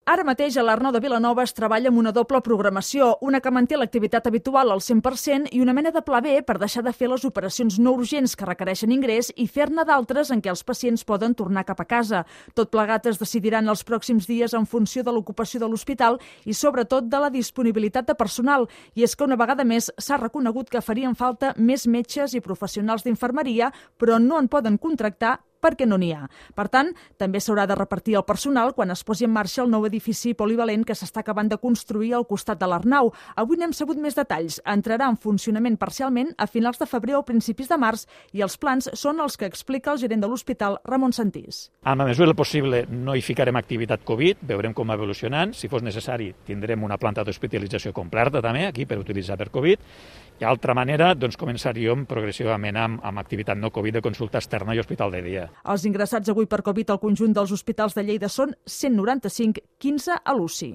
Ara mateix a l'Arnau de Vilanova es treballa amb una doble programació, una que manté l'activitat habitual al 100% i una mena de pla B per deixar de fer les operacions no urgents que requereixen ingrés i fer-ne d'altres en què els pacients poden tornar cap a casa. Tot plegat es decidiran els pròxims dies en funció de l'ocupació de l'hospital i sobretot de la disponibilitat de personal. I és que una vegada més s'ha reconegut que farien falta més metges i professionals d'infermeria, però no en poden contractar perquè no n'hi ha. Per tant, també s'haurà de repartir el personal quan es posi en marxa el nou edifici polivalent que s'està acabant de construir al costat de l'Arnau. Avui n'hem sabut més detalls. Entrarà en funcionament parcialment a finals de febrer o principis de març i els plans són els que explica el gerent de l'hospital, Ramon Santís. En la mesura del possible no hi ficarem activitat Covid, veurem com va evolucionant. Si fos necessari, tindrem una planta d'hospitalització completa també aquí per utilitzar per Covid. I d'altra manera, començaríem progressivament amb activitat no Covid de consulta externa i hospital de dia. Els ingressats avui per Covid al conjunt dels hospitals de Lleida són 195, 15 a l'UCI.